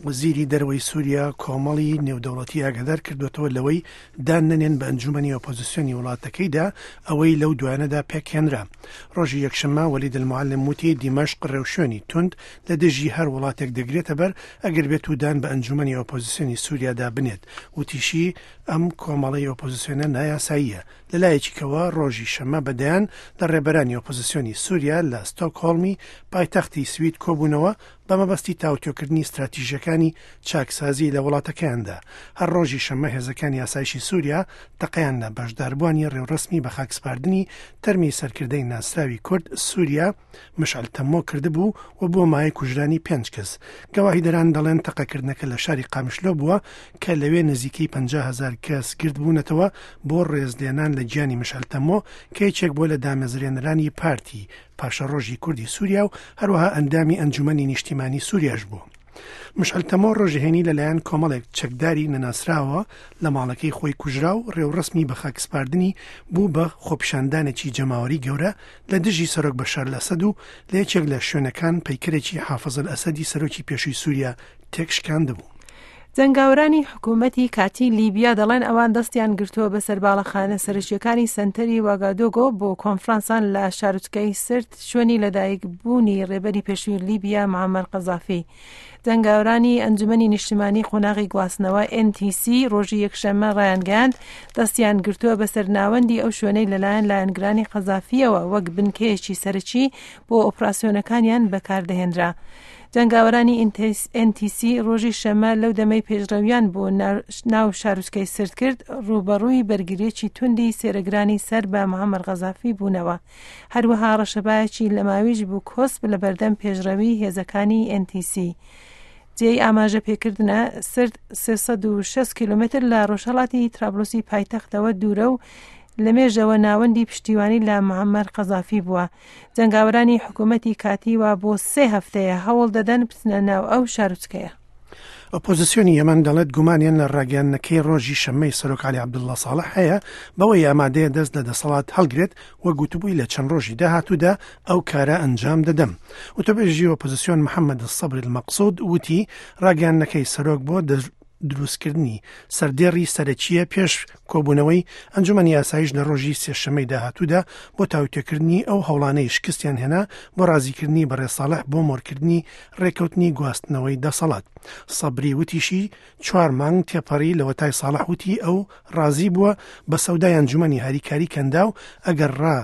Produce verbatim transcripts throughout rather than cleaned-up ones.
وەزیری دەرەوەی سووریا کۆمەڵی نێودەوڵەتی ئاگادار کردوێتەوە لەوەی دان نەنێن بە ئەنجومەنی ئۆپۆزیسیۆنی وڵاتەکەیدا ئەوەی لەو دوایانەدا پێکهێنرا. ڕۆژی یەکشەممە وەلید المعلم وتی دیمەشق ڕێوشوێنی توند لە دژی هەر وڵاتێک دەگرێتە بەر ئەگەر بێت و دان بە ئەنجومەنی ئۆپۆزیسیۆنی سووریادا بنێت. وتیشی ئەم کۆمەڵەی ئۆپۆزیسیۆنە نایاساییە. لەلایەکیکەوە ڕۆژی شەممە بەدەیان لە ڕێبەرانی ئۆپۆزیسیۆنی سووریا لە ستۆکهۆڵمی پایتەختی سوید کۆبوونەوە بە مەبەستی تاوتوێکردنی استراتیژیەکانی چاکسازی لە وڵاتەکەیاندا. هەر ڕۆژی شەممە هێزەکانی ئاسایشی سووریا تەقەیان لە بەشداربووانی ڕێوڕەسمی بە خاکسپاردنی تەرمی سەرکردەی ناسراوی کورد سووریا مشعل تەمۆ کردبوو و بۆ مایەی کوژرانی پێنج کەس. گەواهیدەران دەڵێن تەقەکردنەکە لە شاری قامیشلۆ بووە کە لەوێ نزیکەی پەنجا هەزار کەس گردبوونەتەوە بۆ ڕێزلێنان لە گیانی مشعل تەمۆ کە یەکێک بووە لە دامەزرێنەرانی پارتی پاشەڕۆژی کوردی سووریا و هەروەها ئەندامی ئەنجومەنی نیشتیمانی سووریاش بوو. مشعل تەمۆ ڕۆژهێنی لەلایەن کۆمەڵێک چەکداری نەناسراوە لە ماڵەکەی خۆی کوژرا و ڕێوڕەسمی بە خاکسپاردنی بوو بە خۆپیشاندانێکی جەماوەری گەورە لە دژی سەرۆک بەشار ئەسەد و لە یەکێک لە شوێنەکان پەیکەرێکی حافظ ئەسەدی سەرۆکی پێشووی سووریا تێکشکاندبوو. جەنگاوەرانی حکوومەتی کاتی لیبیا دەڵێن ئەوان دەستیان گرتووە بەسەر باڵەخانە سەرەکیەکانی سەنتەری واگادۆگۆ بۆ کۆنفرانسان لە شارۆچکەی سرت شوێنی لەدایکبوونی ڕێبەری پێشووی لیبیا معەمەر قەزافی. جەنگاوەرانی ئەنجومەنی نیشتمانی قۆناغی گواستنەوە ئێن تی سی ڕۆژی یەکشەممە ڕایانگەیاند دەستیان گرتووە بەسەر ناوەندی ئەو شوێنەی لەلایەن لایەنگرانی قەزافیەوە وەک بنکەیەکی سەرەکی بۆ ئۆپراسیۆنەکانیان بەکاردەهێنرا. جەنگاوەرانی ئێن تی سی ڕۆژی شەممە لەو دەمەی پێشڕەویان بۆ ناو شارۆچکەی سرت کرد ڕووبەڕووی بەرگریەکی توندی سێرەگرانی سەر بە معەمەر قەزافی بوونەوە. هەروەها ڕەشەبایەکی لەماویش بوو کۆسپ لە بەردەم پێشڕەوی هێزەکانی ئێن تی سی. جێی ئاماژە پێکردنە سرت سێ سەد و شەست کیلۆمەتر لە ڕۆژهەڵاتی ترابلوسی پایتەختەوە دوورە و لەمێژەوە ناوەندی پشتیوانی لە معەمەر قەزافی بووە. جەنگاوەرانی حکوومەتی کاتی وا بۆ سێ هەفتەیە هەوڵ دەدەن بچنە ناو ئەو شارۆچکەیە. ئۆپۆزیسیۆنی یەمەن دەڵێت گومانیان لە ڕاگەیاندنەکەی ڕۆژی شەممەی سەرۆک عەلی عەبدوڵڵا ساڵح هەیە بەوەی ئامادەیە دەست لە دەسەڵات هەڵگرێت و گوتبووی لە چەند ڕۆژی داهاتوودا ئەو کارە ئەنجام دەدەم. وتەبێژی ئۆپۆزیسیۆن محەممەد سەبری المەقسود وتی ڕاگەیاندنەکەی سەرۆک بۆ دروستکردنی سەردێڕی سەرەکیە پێش کۆبوونەوەی ئەنجومەنی ئاسایش لە ڕۆژی سێشەممەی داهاتوودا بۆ تاوتوێکردنی ئەو هەوڵانەی شکستیان هێنا بۆ ڕازیکردنی بەڕێز ساڵح بۆ مۆرکردنی ڕێکەوتنی گواستنەوەی دەسەڵات. سەبری وتیشی چوار مانگ تێپەڕی لەوەتای ساڵح وتی ئەو ڕازی بووە بە سەودای ئەنجومەنی هاریکاری کەندا و ئەگەر ڕا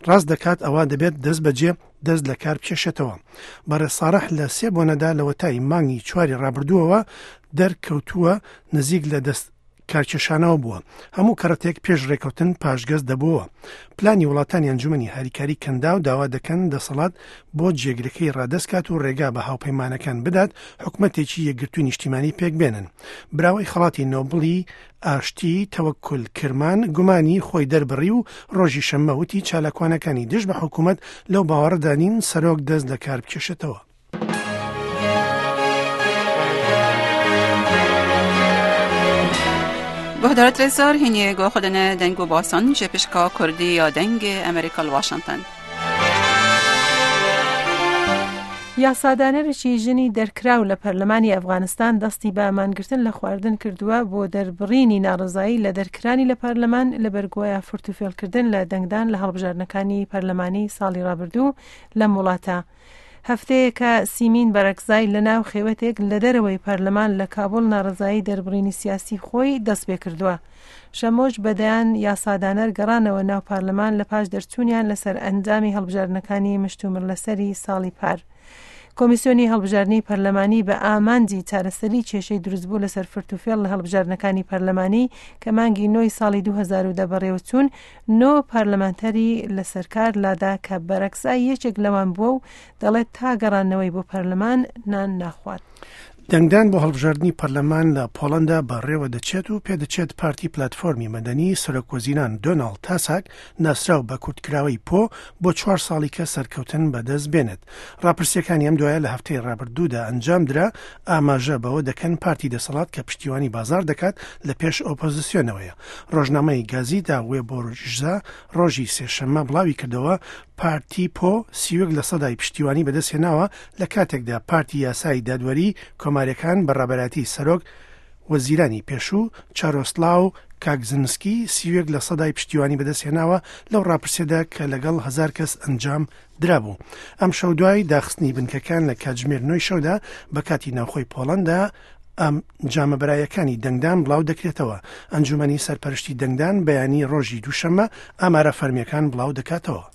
ڕاست دەکات ئەوە دەبێت دەست بەجێ دەست لە کار بکێشێتەوە. بەڕێز ساڵح لە سێ بۆنەدا لەوەتای مانگی چواری ڕابردووەوە دەرکەوتووە نزیک لە دەست کارکێشانەوە بووە. هەموو کەڕەتێک پێش ڕێکەوتن پاشگەز دەبووە. پلانی وڵاتانی ئەنجومەنی هاریکاری کەندا و داوا دەکەن دەسەڵات بۆ جێگرەکەی ڕادەست کات و ڕێگا بە هاوپەیمانەکان بدات حکومەتێکی یەکگرتووی نیشتیمانی پێک بێنن. براوەی خەڵاتی نۆبڵی ئاشتی تەوەکول کرمان گومانی خۆی دەربڕی و ڕۆژی شەممە وتی چالاکوانەکانی دژ بە حکوومەت لەو باوەڕدا نین سەرۆک دەست لە کار بکێشێتەوە. گهدارت رزار هینی گو خودن دنگ و باسان جپشکا کردی یا دنگ امریکا واشنگتن. یاسادانەرێکی ژنی دەرکراو لە پەرلەمانی ئەفغانستان دەستی بە مانگرتن لە خواردن کردووە بۆ دەربڕینی ناڕەزایی لە دەرکرانی لە پەرلەمان لە بەرگۆیە فرتوفێڵکردن لە دەنگدان لە هەڵبژاردنەکانی پەرلەمانی ساڵی ڕابردوو لەم وڵاتە. هەفتەیەکە سیمین بەرەکزای لە ناو خێوەتێک لە دەرەوەی پەرلەمان لە کابوڵ ناڕەزایی دەربڕینی سیاسی خۆی دەست پێ کردووە. شەمۆش بەدەیان یاسادانەر گەڕانەوە ناو پەرلەمان لە پاش دەرچوونیان لەسەر ئەنجامی هەڵبژاردنەکانی مشتومڕ لەسەری ساڵی پار. کۆمیسیۆنی هەڵبژاردنی پەرلەمانی بە ئامانجی چارەسەری کێشەی دروستبوو لەسەر فرتوفێڵ لە هەڵبژاردنەکانی پەرلەمانی کە مانگی نۆی ساڵی دوو هەزار و دە بەڕێوەچوون نۆ پەرلەمانتەری لەسەر کار لادا کە بەرەکزای یەکێک لەوان بووە و دەڵێت تا گەڕانەوەی بۆ پەرلەمان نان ناخوات. دەنگدان بۆ هەڵبژاردنی پەرلەمان لە پۆڵەندا بەڕێوە دەچێت و پێدەچێت پارتی پلاتفۆرمی مەدەنی سەرۆکوەزیران دۆناڵد تاسک ناسراو بە کورتکراوەی پۆ بۆ چوار ساڵی کە سەرکەوتن بەدەست بێنێت. ڕاپرسیەکانی ئەم دوایە لە هەفتەی ڕابردوودا ئەنجام درا ئاماژە بەوە دەکەن پارتی دەسەڵات کە پشتیوانی بازار دەکات لە پێش ئۆپۆزیسیۆنەوەیە. ڕۆژنامەی گازیتا وێبۆرژا ڕۆژی سێشەممە بڵاوی کردەوە پارتی پۆ سی و یەک لە سەدای پشتیوانی بەدەستهێناوە لە کاتێکدا پارتی یاسایی دادوەری کۆماریەکان بە ڕابەرایەتی سەرۆک وەزیرانی پێشوو چارۆسلاو کاکزنسکی سی و یەک لە سەدای پشتیوانی بەدەستهێناوە لەو ڕاپرسیەدا کە لەگەڵ هەزار کەس ئەنجام درابوو. ئەم شەو دوای داخستنی بنکەکان لە کاتژمێر نۆی شەودا بە کاتی ناوخۆی پۆڵەندا ئەم جامەبەرایەکانی دەنگدان بڵاو دەکرێتەوە. ئەنجومەنی سەرپەرشتی دەنگدان بەیانی ڕۆژی دووشەممە ئامارە فەرمیەکان بڵاو دەکاتەوە.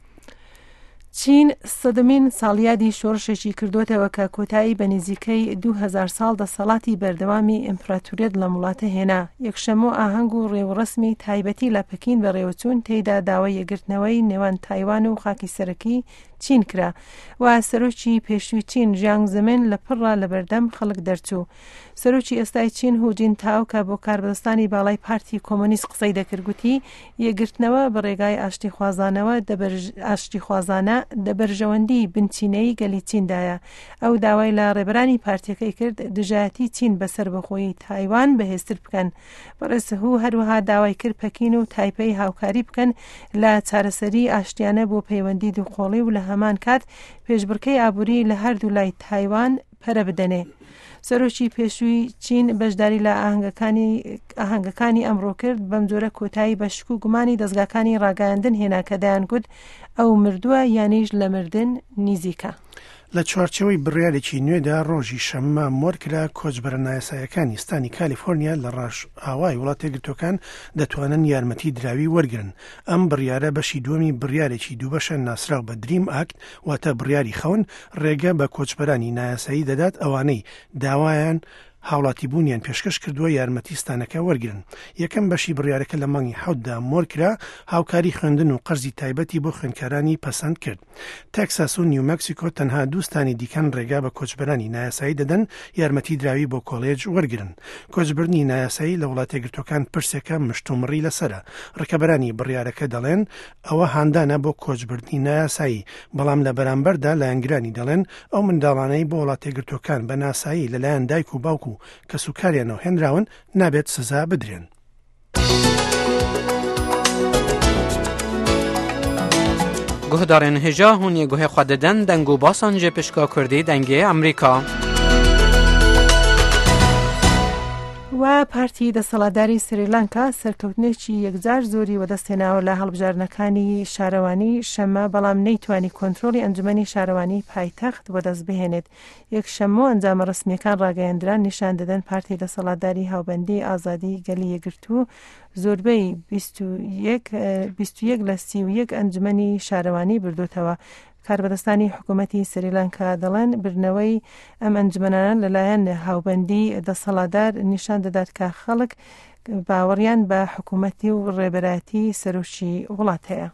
چین سەدەمین ساڵیادی شۆڕشێکی کردوتەوە کە کۆتایی بە نزیکەی دوو هەزار ساڵ دەسەڵاتی بەردەوامی ئیمپراتوریەت لەم وڵاتە هێنا. یەکشەممە ئاهەنگ و ڕێوڕەسمی تایبەتی لە پەکین بەڕێوەچوون، تێیدا داوای یەکگرتنەوەی نێوان تایوان و خاکی سەرەکی چین کرا و سەرۆکی پێشووی چین ژیانگ زمن لە پڕا لەبەردەم خەڵک دەرچوو. سەرۆکی ئێستای چین هوجین تاو کە بۆ کاربەدەستانی باڵای پارتی کۆمۆنیست قسەی دەکرد گوتی یەکگرتنەوە بە ڕێگای ئاشتیخوازانەوە ئاشتیخوازانە دەبەرژەوەندی بنچینەی گەلی چیندایە. ئەو داوای لە ڕێبەرانی پارتیەکەی کرد دژایەتی چین بەسەر بەخۆی تایوان بەهێزتر بکەن. بەڕێز هو هەروەها داوای کرد پەکین و تایپەی هاوکاری بکەن لە چارەسەری ئاشتیانە بۆ پەیوەندی دووقۆڵی و لە هەمان کات پێشبڕکەی ئابووری لە هەردوو لای تایوان پەرە بدەنێ. سەرۆکی پێشووی چین بەشداری لە ئاهەنگەکانی ئەمڕۆ کرد، بەم جۆرە کۆتایی بە شک و گومانی دەستگاکانی ڕاگەیاندن هێنا کە دەیانگوت ئەو مردووە یانیش لە مردن نزیکە. لە چوارچێوەی بڕیارێکی نوێدا ڕۆژی شەممە مۆرکرا کۆچبەرە نایاساییەکانی ستانی کالیفۆرنیا لە ڕۆژئاوای وڵاتە یەکگرتووەکان دەتوانن یارمەتی دراوی وەرگرن. ئەم بڕیارە بەشی دووەمی بڕیارێکی دووبەشە ناسراو بە دریم ئاکت، واتە بڕیاری خەون، ڕێگە بە کۆچبەرانی نایاسایی دەدات ئەوانەی داوایان هاوڵاتیبوونیان پێشکەش کردووە یارمەتی ستانەکە وەرگرن. یەکەم بەشی بڕیارەکە لە مانگی حەوتدا مۆرکرا هاوکاری خوێندن و قەرزی تایبەتی بۆ خوێندکارانی پەسەند کرد. تەکساس و نیو مەکسیکۆ تەنها دووستانی دیکەن ڕێگا بە کۆچبەرانی نایاسایی دەدەن یارمەتی دراوی بۆ کۆلێج وەرگرن. کۆچبردنی نایاسایی لە وڵاتە یەکگرتووەکان پرسێکە مشتومڕی لەسەرە. ڕکەبەرانی بڕیارەکە دەڵێن ئەوە هاندانە بۆ کۆچبردنی نایاسایی، بەڵام لە بەرامبەردا لایەنگرانی دەڵێن ئەو منداڵانەی بۆ وڵاتە یەکگرتووەکان بە ناسایی لەلایەن دایک و باوک و کەسوکاریانەوە هێنراون نابێت سزا بدرێن. گوهدارên hêja hûn yê guhê xwe didin deng û basan ji pişka Kurdî dengê Amerîka. و پارتی دەسەڵاتداری سریلانکا سەرکەوتنێکی یەکجار زۆری وەدەستهێناوە لە هەڵبژاردنەکانی شارەوانی شەممە، بەڵام نەیتوانی کۆنترۆڵی ئەنجومەنی شارەوانی پایتەخت وەدەست بهێنێت. یەکشەممە ئەنجامە ڕەسمیەکان ڕاگەیەندران نیشان دەدەن پارتی دەسەڵاتداری هاوبەندی ئازادی گەلی یەکگرتوو زۆربەی بیست و یەک لە سی و یەک ئەنجومەنی شارەوانی بردوتەوە. کاربەدەستانی حکوومەتی سریلانکا دەڵێن بردنەوەی ئەم ئەنجومەنانە لەلایەن هاوبەندی دەسەڵاتدار نیشان دەدات کە خەڵک باوەڕیان بە حکوومەتی و ڕێبەرایەتی سەرۆکی وڵات هەیە.